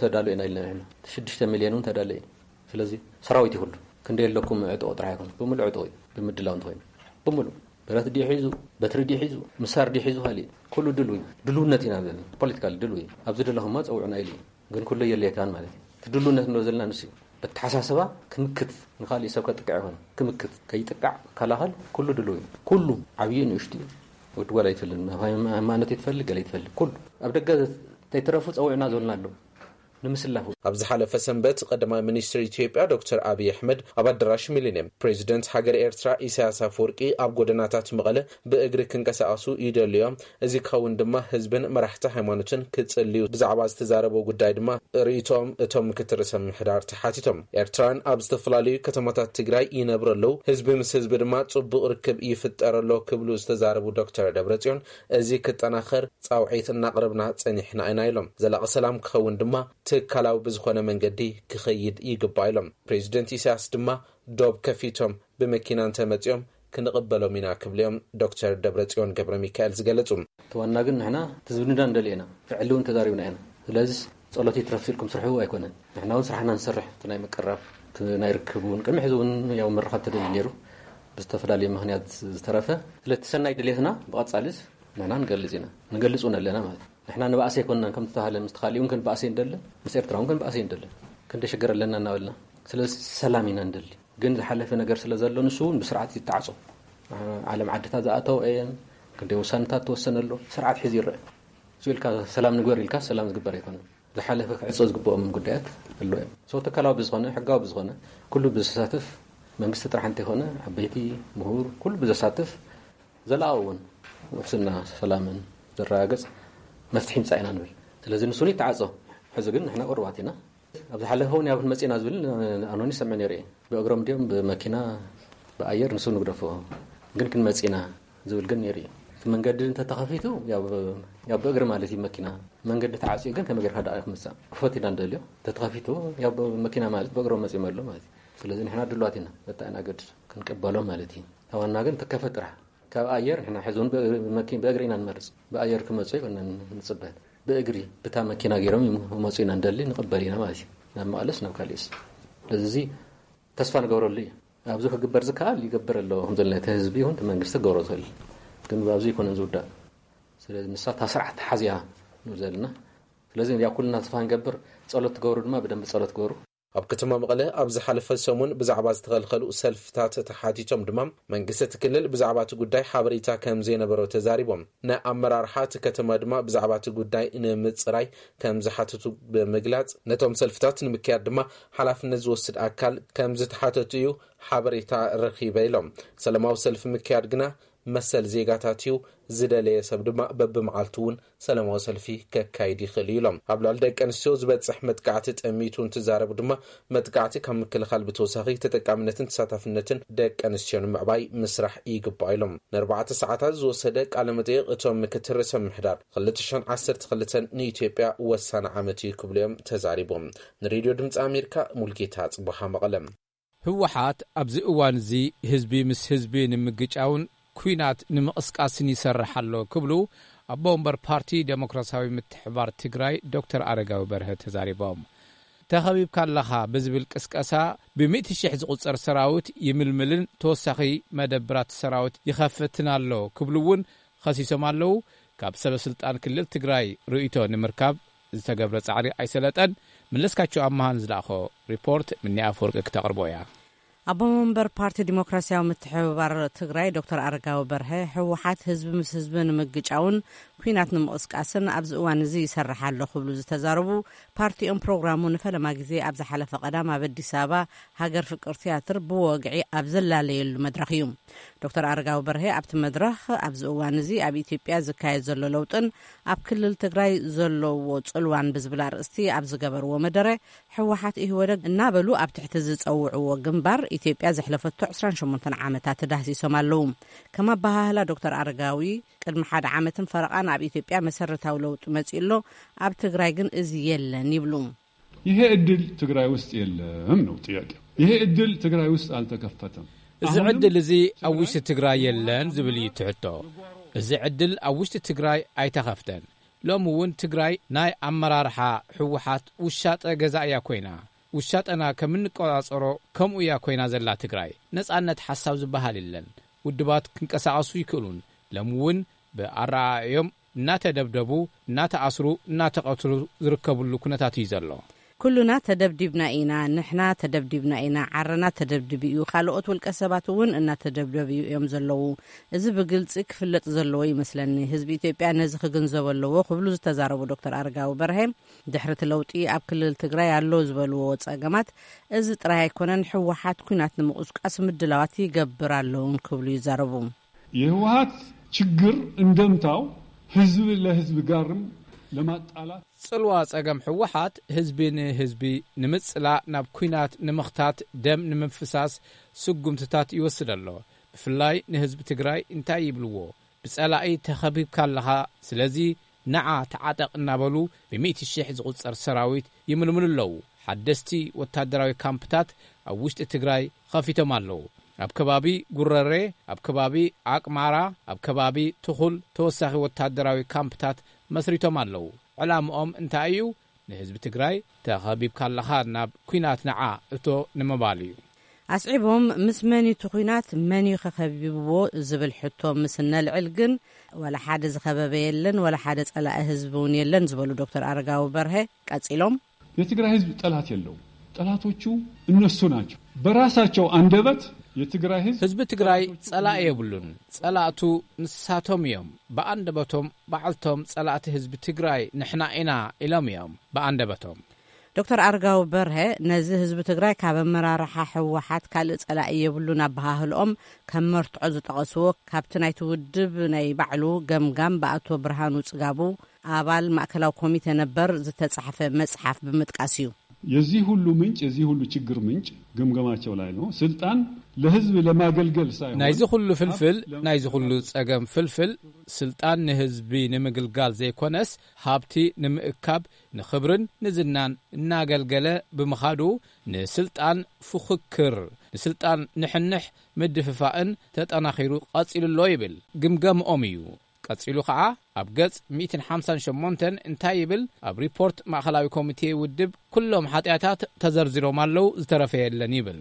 ተዳሉ ኢና ኢልና ንሕና ሽዱሽተ ሚልዮን እውን ተዳለ እዩ ስለዚ ሰራዊት ይኩሉ ክንደይ ኣለኩም ዕጥቆ ጥራሕ ኣይኮነ ብምሉእ ዕጥቆ እዩ ብምድላው እንተኮይኑ ብምሉእ ብረት ድዩ ሒዙ በትሪ ድዩ ሒዙ ምሳር ድዩ ሒዙ ካሊእ ኩሉ ድሉ እዩ ድልውነት ኢና ዘለና ፖለቲካል ድሉ እዩ ኣብዚ ደለኹማ ፀውዑና ኢሉ እዩ ግን ኩሉ የድልየካን ማለት እዩ እቲ ድልውነት ንብሎ ዘለና ንሱ እዩ በተሓሳስባ ክምክት ንካሊእ ሰብ ከጥቅዕ ይኮነ ክምክት ከይጥቃዕ ከላኸል ኩሉ ድሉ እዩ ኩሉ ዓብዩ ንእሽቱ ወዲ ጓል ኣይትፈልግ ሃይማኖት ይትፈልግ ገለ ይትፈልግ ኩሉ ኣብ ደገ ተይትረፉ ፀውዕና ዝበልና ኣለዉ ንምስላፉ ኣብ ዝሓለፈ ሰንበት ቀዳማይ ሚኒስትር ኢትዮጵያ ዶክተር ኣብይ ኣሕመድ ኣብ ኣዳራሽ ሚሊኒየም ፕሬዚደንት ሃገር ኤርትራ ኢሳያስ ኣፈወርቂ ኣብ ጎደናታት መቐለ ብእግሪ ክንቀሳቐሱ ይደልዮም። እዚ ክኸውን ድማ ህዝብን መራሕቲ ሃይማኖትን ክጽልዩ ብዛዕባ ዝተዛረበ ጉዳይ ድማ ርእይቶኦም እቶም ምክትል ርእሰ ምምሕዳር ተሓቲቶም። ኤርትራውያን ኣብ ዝተፈላለዩ ከተማታት ትግራይ ይነብሩ ኣለዉ። ህዝቢ ምስ ህዝቢ ድማ ጽቡቕ ርክብ ይፍጠር ኣሎ ክብሉ ዝተዛረቡ ዶክተር ደብረጽዮን እዚ ክጠናኸር ጻውዒት እናቕረብና ጸኒሕና ኢና ኢሎም። ዘላቒ ሰላም ክኸውን ድማ ትካላዊ ብዝኾነ መንገዲ ክኸይድ ይግባእ ኢሎም። ፕሬዚደንት ኢሳያስ ድማ ዶብ ከፊቶም ብመኪና እንተመጺኦም ክንቕበሎም ኢና ክብሉ እዮም ዶክተር ደብረጽዮን ገብረ ሚካኤል ዝገለጹ። እቲ ዋና ግን ንሕና እቲ ዝብልና ንደሊ ኢና። ፍዕሊ እውን ተዛሪብና ኢና። ስለዚ ጸሎት ይትረፍ ኢልኩም ስርሑ ኣይኮነን። ንሕና እውን ስራሕና ንሰርሕ። እቲ ናይ ምቅራብ፣ እቲ ናይ ርክብ እውን ቅድሚ ሕዚ እውን ያው ምርኻብ ተደልዩ ነይሩ። ብዝተፈላለየ ምኽንያት ዝተረፈ። ስለቲ ሰናይ ድሌትና ብቐጻልስ ንሕና ንገልጽ ኢና። ንገልጽ እውን ኣለና ማለት እዩ። ንሕና ንባእሲ ኣይኮንናን ከም ዝተባህለ ምስቲ ካሊእ እውን ክንባእሲ ንደልን ምስ ኤርትራ እውን ክንባእሲ ንደልን። ክንደይ ሽግር ኣለና እናበልና። ስለዚ ሰላም ኢና ንደሊ። ግን ዝሓለፈ ነገር ስለ ዘሎ ንሱ እውን ብስርዓት ይተዓጾ። ዓለም ዓድታት ዝኣተው እየን። ክንደይ ውሳነታት ተወሰነ ኣሎ። ስርዓት ሒዙ ይረአ። እሱ ኢልካ ሰላም ንግበር ኢልካ ሰላም ዝግበር ኣይኮነን። ዝሓለፈ ክዕጾ ዝግብኦም ጉዳያት ኣሎ እዮም። So ትካላዊ ብዝኾነ፣ ሕጋዊ ብዝኾነ፣ ኩሉ ብዘሳትፍ፣ መንግስቲ ጥራሕ እንተይኮነ፣ ዓበይቲ፣ ምሁር፣ ኩሉ ብዘሳትፍ ዘላኣዊ እውን ውሕስና ሰላምን ዘረጋግጽ መፍትሒ ምጻእ ኢና ንብል። ስለዚ ንሱ ይተዓጾ። ሕዚ ግን ንሕና ቁሩባት ኢና። ኣብ ዝሓለፈ እውን ያው ክንመጽእ ኢና ዝብል ኣኖኒ ይሰምዕ ነይሩ እየ። ብእግሮም ድዮም ብመኪና ብኣየር ንሱ ንግደፎ ግን ክንመጽእ ኢና ዝብል ግን ነይሩ እዩ። መንገዲ እንተተኸፊቱ ያው ያው ብእግሪ ማለት እዩ። መኪና መንገዲ ተዓፅዩ ግን ከመይ ጌርካ ደኣ ክምፃእ ክፈት ኢና ንደልዮ። እንተተኸፊቱ ያው መኪና ማለት ብእግሮም መፂኦም ኣሎ ማለት እዩ። ስለዚ ንሕና ድልዋት ኢና በታ ኢና ገድድ ክንቅበሎ ማለት እዩ። ተዋና ግን ትከፈት ጥራሕ ካብ ኣየር ንሕና ሕዚ እውን ብእግሪ መኪ- ብእግሪ ኢና ንመርፅ። ብኣየር ክመፁ ይኮነን ንፅበ ብእግሪ ብታ መኪና ገይሮም ይመፁ ኢና ንደሊ ንቅበል ኢና ማለት እዩ። ናብ መቐለስ ናብ ካሊእስ ስለዚ ተስፋ ንገብረሉ እዩ። ኣብዚ ክግበር ዝከኣል ይገብር ኣሎ ከም ዘለና እቲ ህዝቢ ይኹን እቲ መንግስቲ ክገብሮ ዝኽእል ግን ኣብዚ ይኮነን ዝውዳእ። ስለዚ ንሳ እታ ስርዓት ተሓዝያ ንብል ዘለና። ስለዚ ያ ኩልና ተስፋ ንገብር። ጸሎት ትገብሩ ድማ ብደንብ ጸሎት ግበሩ። ኣብ ከተማ መቐለ ኣብ ዝሓለፈ ሰሙን ብዛዕባ ዝተኸልከሉ ሰልፍታት ተሓቲቶም ድማ መንግስቲ እቲ ክልል ብዛዕባ እቲ ጉዳይ ሓበሬታ ከም ዘይነበሮ ተዛሪቦም። ንኣመራርሓ እቲ ከተማ ድማ ብዛዕባ እቲ ጉዳይ ንምፅራይ ከም ዝሓተቱ ብምግላፅ ነቶም ሰልፍታት ንምክያድ ድማ ሓላፍነት ዝወስድ ኣካል ከም ዝተሓተቱ እዩ ሓበሬታ ረኺበ ኢሎም። ሰላማዊ ሰልፊ ምክያድ ግና መሰል ዜጋታት እዩ። ዝደለየ ሰብ ድማ በብመዓልቱ እውን ሰላማዊ ሰልፊ ከካይድ ይኽእል እዩ ኢሎም። ኣብ ልዕሊ ደቂ ኣንስትዮ ዝበፅሕ መጥቃዕቲ ጠሚቱ እንትዛረቡ ድማ መጥቃዕቲ ካብ ምክልኻል ብተወሳኺ ተጠቃምነትን ተሳታፍነትን ደቂ ኣንስትዮ ንምዕባይ ምስራሕ ይግባእ ኢሎም። ንኣርባዕተ ሰዓታት ዝወሰደ ቃለ መጠይቕ እቶም ምክትል ርእሰ ምምሕዳር ክልተ ሽሕን ዓሰርተ ክልተን ንኢትዮጵያ ወሳኒ ዓመት እዩ ክብሉ እዮም ተዛሪቦም። ንሬድዮ ድምፂ ኣሜሪካ ሙልጌታ ጽቡሓ መቐለም። ህወሓት ኣብዚ እዋን እዚ ህዝቢ ምስ ህዝቢ ንምግጫውን ኲናት ንምቕስቃስን ይሰርሕ ኣሎ ክብሉ ኣቦ ወንበር ፓርቲ ዴሞክራሲያዊ ምትሕባር ትግራይ ዶክተር ኣረጋዊ በርሀ ተዛሪቦም። ተኸቢብካ ኣለኻ ብዝብል ቅስቀሳ ብሚእቲ ሽሕ ዝቑጸር ሰራዊት ይምልምልን ተወሳኺ መደብራት ሰራዊት ይኸፍትን ኣሎ ክብሉ እውን ኸሲሶም ኣለዉ። ካብ ሰበ ስልጣን ክልል ትግራይ ርእይቶ ንምርካብ ዝተገብረ ጻዕሪ ኣይሰለጠን። መለስካቸው ኣመሃ ንዝለኣኾ ሪፖርት ምኒ ኣፈወርቂ ክተቕርቦ እያ። ኣቦ መንበር ፓርቲ ዲሞክራሲያዊ ምትሕብባር ትግራይ ዶክተር ኣረጋዊ በርሀ፣ ህወሓት ህዝቢ ምስ ህዝቢ ንምግጫውን ኲናት ንምቕስቃስን ኣብዚ እዋን እዚ ይሰርሕ ኣሎ ክብሉ ዝተዛረቡ፣ ፓርቲኦም ፕሮግራሙ ንፈለማ ግዜ ኣብ ዝሓለፈ ቀዳም ኣብ ኣዲስ ኣበባ ሃገር ፍቅር ቲያትር ብወግዒ ኣብ ዘላለየሉ መድረኽ እዩ። ዶክተር ኣረጋዊ በርሀ ኣብቲ መድረኽ ኣብዚ እዋን እዚ ኣብ ኢትዮጵያ ዝካየድ ዘሎ ለውጥን ኣብ ክልል ትግራይ ዘለዎ ጽልዋን ብዝብል ኣርእስቲ ኣብ ዝገበርዎ መደረ፣ ህወሓት ኢህወደግ እናበሉ ኣብ ትሕቲ ዝጸውዕዎ ግንባር ኢትዮጵያ ዘሕለፈቶ ዕስራን ሸሞንተን ዓመታት ተዳህሲሶም ኣለዉ። ከም ኣበሃህላ ዶክተር ኣረጋዊ፣ ቅድሚ ሓደ ዓመትን ፈረቓን ኣብ ኢትዮጵያ መሰረታዊ ለውጢ መጺኡ ኣሎ፣ ኣብ ትግራይ ግን እዚ የለን ይብሉ። ይሄ እድል ትግራይ ውስጥ የለም ነው ጥያቄው። ይሄ እድል ትግራይ ውስጥ አልተከፈተም። እዚ ዕድል እዚ ኣብ ውሽጢ ትግራይ የለን ዝብል እዩ ትሕቶ። እዚ ዕድል ኣብ ውሽጢ ትግራይ ኣይተኸፍተን። ሎሚ እውን ትግራይ ናይ ኣመራርሓ ህወሓት ውሻጠ ገዛ እያ ኮይና። ውሻጠና ከም እንቆጻጸሮ ከምኡ እያ ኮይና ዘላ ትግራይ። ነጻነት ሓሳብ ዝበሃል የለን። ውድባት ክንቀሳቐሱ ይክእሉን። ሎሚ እውን ብኣረኣእዮም እናተደብደቡ፣ እናተኣስሩ፣ እናተቐትሉ ዝርከብሉ ኩነታት እዩ ዘሎ። ኩሉና ተደብዲብና ኢና፣ ንሕና ተደብዲብና ኢና፣ ዓረና ተደብዲቡ እዩ፣ ካልኦት ውልቀ ሰባት እውን እናተደብደቡ እዮም ዘለዉ። እዚ ብግልፂ ክፍለጥ ዘለዎ ይመስለኒ። ህዝቢ ኢትዮጵያ ነዚ ክግንዘቦ ኣለዎ ክብሉ ዝተዛረቡ ዶክተር ኣረጋዊ በርሀ፣ ድሕሪ እቲ ለውጢ ኣብ ክልል ትግራይ ኣሎ ዝበልዎ ፀገማት እዚ ጥራይ ኣይኮነን፣ ህወሓት ኲናት ንምቑስቃስ ምድላዋት ይገብር ኣለውን ክብሉ ይዛረቡ። የህወሓት ችግር እንደምታው ህዝብ ለህዝብ ጋርም ለማጣላት። ጽልዋ ጸገም ህወሓት ህዝቢ ንህዝቢ ንምጽላእ፣ ናብ ኲናት ንምኽታት፣ ደም ንምፍሳስ ስጉምትታት ይወስድ ኣሎ። ብፍላይ ንህዝቢ ትግራይ እንታይ ይብልዎ? ብጸላኢ ተኸቢብካ ኣለኻ፣ ስለዚ ንዓ ተዓጠቕ እናበሉ ብሚእቲ ሽሕ ዝቑጸር ሰራዊት ይምልምሉ ኣለዉ። ሓደስቲ ወታደራዊ ካምፕታት ኣብ ውሽጢ ትግራይ ኸፊቶም ኣለዉ። ኣብ ከባቢ ጉረሬ፣ ኣብ ከባቢ ኣቅማራ፣ ኣብ ከባቢ ትኹል ተወሳኺ ወታደራዊ ካምፕታት መስሪቶም ኣለዉ። ዕላምኦም እንታይ እዩ? ንህዝቢ ትግራይ ተኸቢብካ ኣለኻ ናብ ኲናት ንዓ እቶ ንምባል እዩ። ኣስዒቦም፣ ምስ መን እዩ እቲ ኲናት፣ መን እዩ ከኸቢብዎ ዝብል ሕቶ ምስ እነልዕል ግን፣ ወላ ሓደ ዝኸበበ የለን፣ ወላ ሓደ ጸላኢ ህዝቢ እውን የለን ዝበሉ ዶክተር ኣረጋዊ በርሀ ቀጺሎም፣ የትግራይ ህዝብ ጠላት የለውም። ጠላቶቹ እነሱ ናቸው። በራሳቸው አንደበት የትግራይ ህዝብ ህዝቢ ትግራይ ጸላኢ የብሉን። ጸላእቱ ንሳቶም እዮም። ብኣንደበቶም ባዕልቶም ጸላእቲ ህዝቢ ትግራይ ንሕና ኢና ኢሎም እዮም ብኣንደበቶም። ዶክተር ኣረጋዊ በርሀ ነዚ ህዝቢ ትግራይ ካብ ኣመራርሓ ህወሓት ካልእ ጸላኢ የብሉን ኣበሃህልኦም ከም መርትዖ ዝጠቐስዎ ካብቲ ናይቲ ውድብ ናይ ባዕሉ ገምጋም ብኣቶ ብርሃኑ ጽጋቡ ኣባል ማእከላዊ ኮሚቴ ነበር ዝተጻሕፈ መጽሓፍ ብምጥቃስ እዩ። የዚህ ሁሉ ምንጭ፣ የዚህ ሁሉ ችግር ምንጭ ግምገማቸው ላይ ነው። ስልጣን ለህዝብ ለማገልገል ሳይሆን፣ ናይዚ ኩሉ ፍልፍል፣ ናይዚ ኩሉ ጸገም ፍልፍል፣ ስልጣን ንህዝቢ ንምግልጋል ዘይኮነስ፣ ሃብቲ ንምእካብ፣ ንኽብርን ንዝናን እናገልገለ ብምኻዱ፣ ንስልጣን ፉኽክር፣ ንስልጣን ንሕንሕ ምድፍፋእን ተጠናኺሩ ቀጺሉ ኣሎ ይብል ግምገምኦም እዩ። ቀጺሉ ኸዓ ኣብ ገጽ ሚእትን ሓምሳን ሸሞንተን እንታይ ይብል? ኣብ ሪፖርት ማእኸላዊ ኮሚቴ ውድብ ኩሎም ሓጢኣታት ተዘርዚሮም ኣለዉ፣ ዝተረፈ የለን ይብል።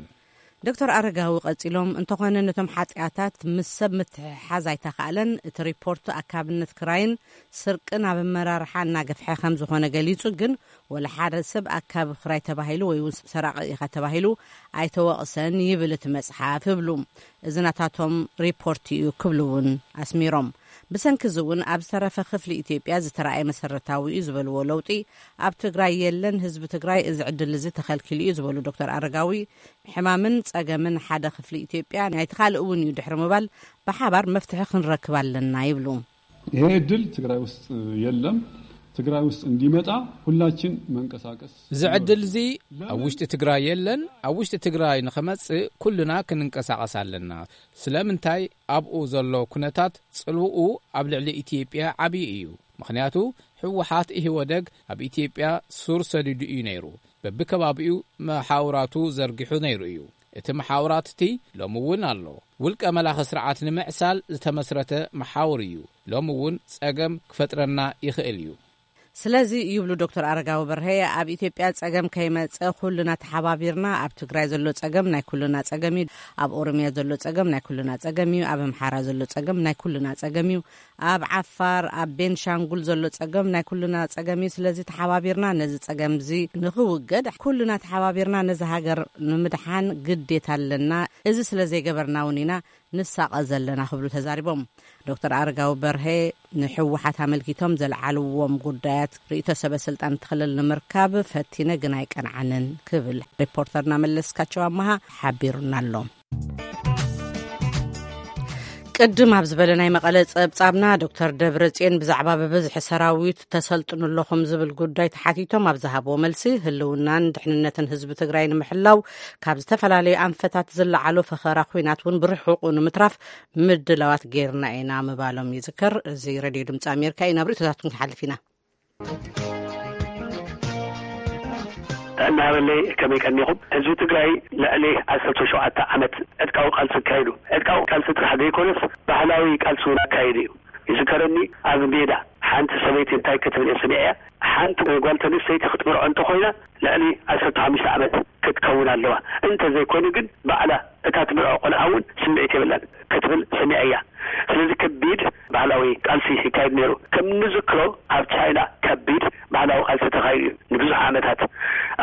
ዶክተር ኣረጋዊ ቀጺሎም፣ እንተኾነ ነቶም ሓጢኣታት ምስ ሰብ ምትሕሓዝ ኣይተኻእለን። እቲ ሪፖርት ኣካብነት ክራይን ስርቅን ኣብ ኣመራርሓ እናገፍሐ ከም ዝኾነ ገሊጹ፣ ግን ወላ ሓደ ሰብ ኣካቢ ክራይ ተባሂሉ ወይ እውን ሰራቒ ኢኻ ተባሂሉ ኣይተወቕሰን ይብል እቲ መጽሓፍ ይብሉ። እዚ ናታቶም ሪፖርት እዩ ክብሉ እውን ኣስሚሮም። ብሰንኪ እዚ እውን ኣብ ዝተረፈ ክፍሊ ኢትዮጵያ ዝተራእየ መሰረታዊ እዩ ዝበልዎ ለውጢ ኣብ ትግራይ የለን። ህዝቢ ትግራይ እዚ ዕድል እዚ ተኸልኪሉ እዩ ዝበሉ ዶክተር ኣረጋዊ፣ ሕማምን ጸገምን ሓደ ክፍሊ ኢትዮጵያ ናይቲ ካልእ እውን እዩ ድሕሪ ምባል፣ ብሓባር መፍትሒ ክንረክብ ኣለና ይብሉ። ይሄ እድል ትግራይ ውስጥ የለም። ትግራይ ውስጥ እንዲመጣ ሁላችን መንቀሳቀስ እዚ ዕድል እዚ ኣብ ውሽጢ ትግራይ የለን። ኣብ ውሽጢ ትግራይ ንኽመጽእ ኩልና ክንንቀሳቐስ ኣለና። ስለምንታይ? ኣብኡ ዘሎ ኩነታት ጽልውኡ ኣብ ልዕሊ ኢትዮጵያ ዓብዪ እዩ። ምኽንያቱ ህወሓት ኢህወደግ ኣብ ኢትዮጵያ ሱር ሰዲዱ እዩ ነይሩ። በብከባቢኡ መሓውራቱ ዘርጊሑ ነይሩ እዩ። እቲ መሓውራት እቲ ሎሚ እውን ኣሎ። ውልቀ መላኺ ስርዓት ንምዕሳል ዝተመስረተ መሓውር እዩ። ሎሚ እውን ጸገም ክፈጥረና ይኽእል እዩ። ስለዚ ይብሉ ዶክተር ኣረጋዊ በርሀ፣ ኣብ ኢትዮጵያ ጸገም ከይመጸ ኩልና ተሓባቢርና፣ ኣብ ትግራይ ዘሎ ጸገም ናይ ኩልና ጸገም እዩ፣ ኣብ ኦሮሚያ ዘሎ ጸገም ናይ ኩልና ጸገም እዩ፣ ኣብ ኣምሓራ ዘሎ ጸገም ናይ ኩልና ጸገም እዩ፣ ኣብ ዓፋር፣ ኣብ ቤንሻንጉል ዘሎ ጸገም ናይ ኩልና ጸገም እዩ። ስለዚ ተሓባቢርና ነዚ ጸገም እዚ ንኽውገድ፣ ኩልና ተሓባቢርና ነዚ ሃገር ንምድሓን ግዴታ ኣለና። እዚ ስለ ዘይገበርና እውን ኢና ንሳቐ ዘለና ክብሉ ተዛሪቦም። ዶክተር ኣረጋዊ በርሀ ንሕወሓት ኣመልኪቶም ዘልዓልዎም ጉዳያት ርእይቶ ሰበ ስልጣን እቲ ክልል ንምርካብ ፈቲነ ግን ኣይቀንዓንን ክብል ሪፖርተርና መለስካቸው ኣመሃ ሓቢሩና ኣሎ። ቅድም ኣብ ዝበለ ናይ መቐለ ጸብጻብና ዶክተር ደብረጽዮን ብዛዕባ ብብዝሒ ሰራዊት ተሰልጥኑ ኣለኹም ዝብል ጉዳይ ተሓቲቶም ኣብ ዝሃብዎ መልሲ፣ ህልውናን ድሕንነትን ህዝቢ ትግራይ ንምሕላው ካብ ዝተፈላለዩ ኣንፈታት ዝለዓሎ ፈኸራ ኲናት እውን ብርሑቑ ንምትራፍ ምድላዋት ጌርና ኢና ምባሎም ይዝከር። እዚ ሬድዮ ድምፂ ኣሜሪካ እዩ። ናብ ርእይቶታትኩም ክሓልፍ ኢና። ጥዕና ሃበለይ፣ ከመይ ቀኒኹም? ህዝቢ ትግራይ ልዕሊ ዓሰርተ ሸውዓተ ዓመት ዕጥቃዊ ቃልሲ ኣካይዱ። ዕጥቃዊ ቃልሲ ጥራሕ ዘይኮነስ ባህላዊ ቃልሲ እውን ኣካይዱ እዩ። ይዝከረኒ፣ ኣብ ሜዳ ሓንቲ ሰበይቲ እንታይ ክትብል እየ ሰሚዐያ፣ ሓንቲ ጓል ተንስተይቲ ክትምርዖ እንተኾይና ልዕሊ ዓሰርተ ሓሙሽተ ዓመት ክትከውን ኣለዋ፣ እንተዘይኮይኑ ግን ባዕላ እታ ትምርዖ ቆልዓ እውን ስምዒት የብላን ክትብል ሰሚዐያ። ስለዚ ከቢድ ባህላዊ ቃልሲ ይካየድ ነይሩ። ከም ንዝክሮ ኣብ ቻይና ከቢድ ባህላዊ ቃልሲ ተኻይዱ እዩ ንብዙሕ ዓመታት።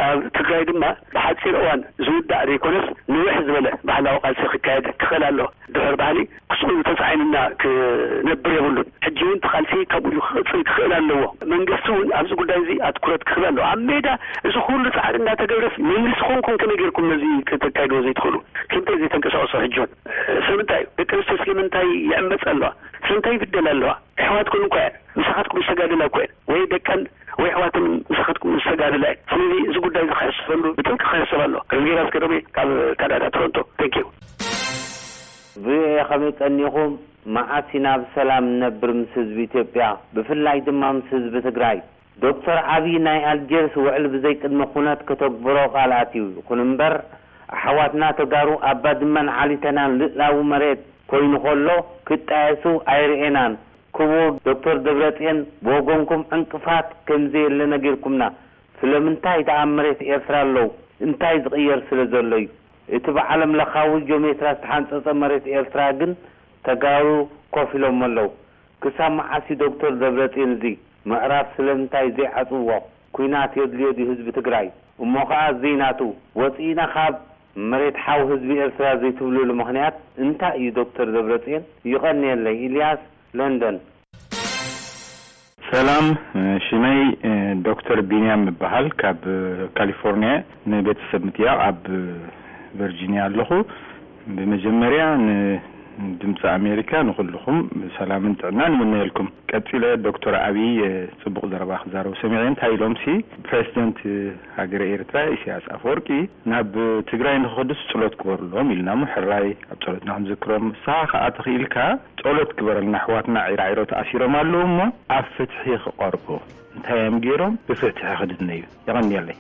ኣብ ትግራይ ድማ ብሓፂር እዋን ዝውዳእ ዘይኮነስ ንውሕ ዝበለ ባህላዊ ቃልሲ ክካየድ ክኽእል ኣሎ። ድሑር ባህሊ ክስኡ ተፃዒኑና ክነብር የብሉን። ሕጂ እውን እቲ ቃልሲ ከምኡ እዩ ክቕፅል ክኽእል ኣለዎ። መንግስቲ እውን ኣብዚ ጉዳይ እዚ ኣትኩረት ክህብ ኣለዎ። ኣብ ሜዳ እዚ ኩሉ ፃዕሪ እናተገብረስ መንግስቲ ኮንኩም ከመይ ጌርኩም ነዚ ከተካይድዎ ዘይትኽእሉ? ስለምንታይ ዘይተንቀሳቐሱ? ሕጂ እውን ስለምንታይ እዩ? ደቂ ኣንስትዮ ስለምንታይ ይዕመፃ ኣለዋ? ስለምንታይ ይብደላ ኣለዋ? ኣሕዋትኩም እኳ እየን፣ ምሳኻትኩም ዝተጋደላ እኮ እየን። ወይ ደቀን ወይ ኣሕዋትን ምሳኻትኩም ዝተጋደላ እየን። ስለዚ እዚ ጉዳይ እዚ ክሕሰበሉ ብጥብቂ ክሕሰብ ኣለዎ። ረዝጌራ ኣስገዶሜ ካብ ካናዳ ቶሮንቶ። Thank you። ቪኦኤ ከመይ ቀኒኹም? መዓስ ኢና ብሰላም ንነብር ምስ ህዝቢ ኢትዮጵያ፣ ብፍላይ ድማ ምስ ህዝቢ ትግራይ? ዶክተር ዓብዪ ናይ ኣልጀርስ ውዕል ብዘይቅድመ ኩነት ከተግብሮ ቃል ኣትዩ። ይኹን እምበር ኣሕዋትና ተጋሩ ኣብ ባድመን ዓሊተናን ልእላዊ መሬት ኮይኑ ከሎ ክጣየሱ ኣይርኤናን። ክቡር ዶክተር ደብረጽዮን ብወገንኩም ዕንቅፋት ከምዘየለ ነጊርኩምና። ስለምንታይ ደኣ ኣብ መሬት ኤርትራ ኣለዉ? እንታይ ዝቕየር ስለ ዘሎ እዩ? እቲ ብዓለም ለኻዊ ጂኦሜትራ ዝተሓንጸጸ መሬት ኤርትራ ግን ተጋሩ ኮፍ ኢሎሞ ኣለዉ። ክሳብ መዓስ እዩ ዶክተር ደብረጽዮን እዚ ምዕራፍ ስለምንታይ ዘይዓጽዎ? ኲናት የድልዮ ድዩ ህዝቢ ትግራይ? እሞ ኸኣ ዘይናቱ ወጺእና ካብ መሬት ሓው ህዝቢ ኤርትራ ዘይትብልሉ ምኽንያት እንታይ እዩ ዶክተር ደብረጽዮን? ይቐንየለይ። ኢልያስ፣ ለንደን። ሰላም፣ ሽመይ ዶክተር ቢንያም እበሃል፣ ካብ ካሊፎርኒያ። ንቤተሰብ ምጥያቕ ኣብ ቨርጂኒያ ኣለኹ። ብመጀመርያ ን ድምፂ ኣሜሪካ ንኹልኹም ሰላምን ጥዕናን ይምነየልኩም። ቀፂለ ዶክተር ኣብይ፣ እ፣ ፅቡቕ ዘረባ ክዛረቡ ሰሚዐ። እንታይ ኢሎም ሲ ፕሬዚደንት ሃገረ ኤርትራ ኢሳያስ ኣፈወርቂ ናብ ትግራይ ንክኸዱስ ጸሎት ግበሩሎም ኢልና እሞ ሕራይ ኣብ ጸሎትና ክንዝክሮም። ንስኻ ከኣ ተኽኢልካ ጸሎት ግበረልና፣ ኣሕዋትና ዒራዒሮ ተኣሲሮም ኣለዉ እሞ ኣብ ፍትሒ ክቐርቡ። እንታይ እዮም ገይሮም? ብፍትሒ ክድነዩ። የቐንየለይ።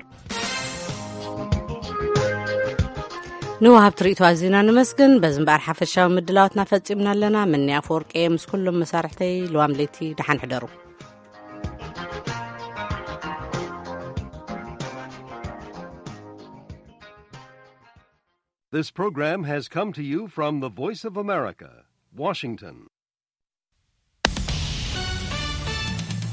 ንወሃብቲ ርእይቶ ኣዚና ንመስግን። በዚ እምበኣር ሓፈሻዊ ምድላዋትና ፈጺምና ኣለና። ምኒ ኣፈወርቂ እየ ምስ ኩሎም መሳርሕተይ። ልዋም ለይቲ ደሓን ሕደሩ። This program has come to you from the Voice of America, Washington.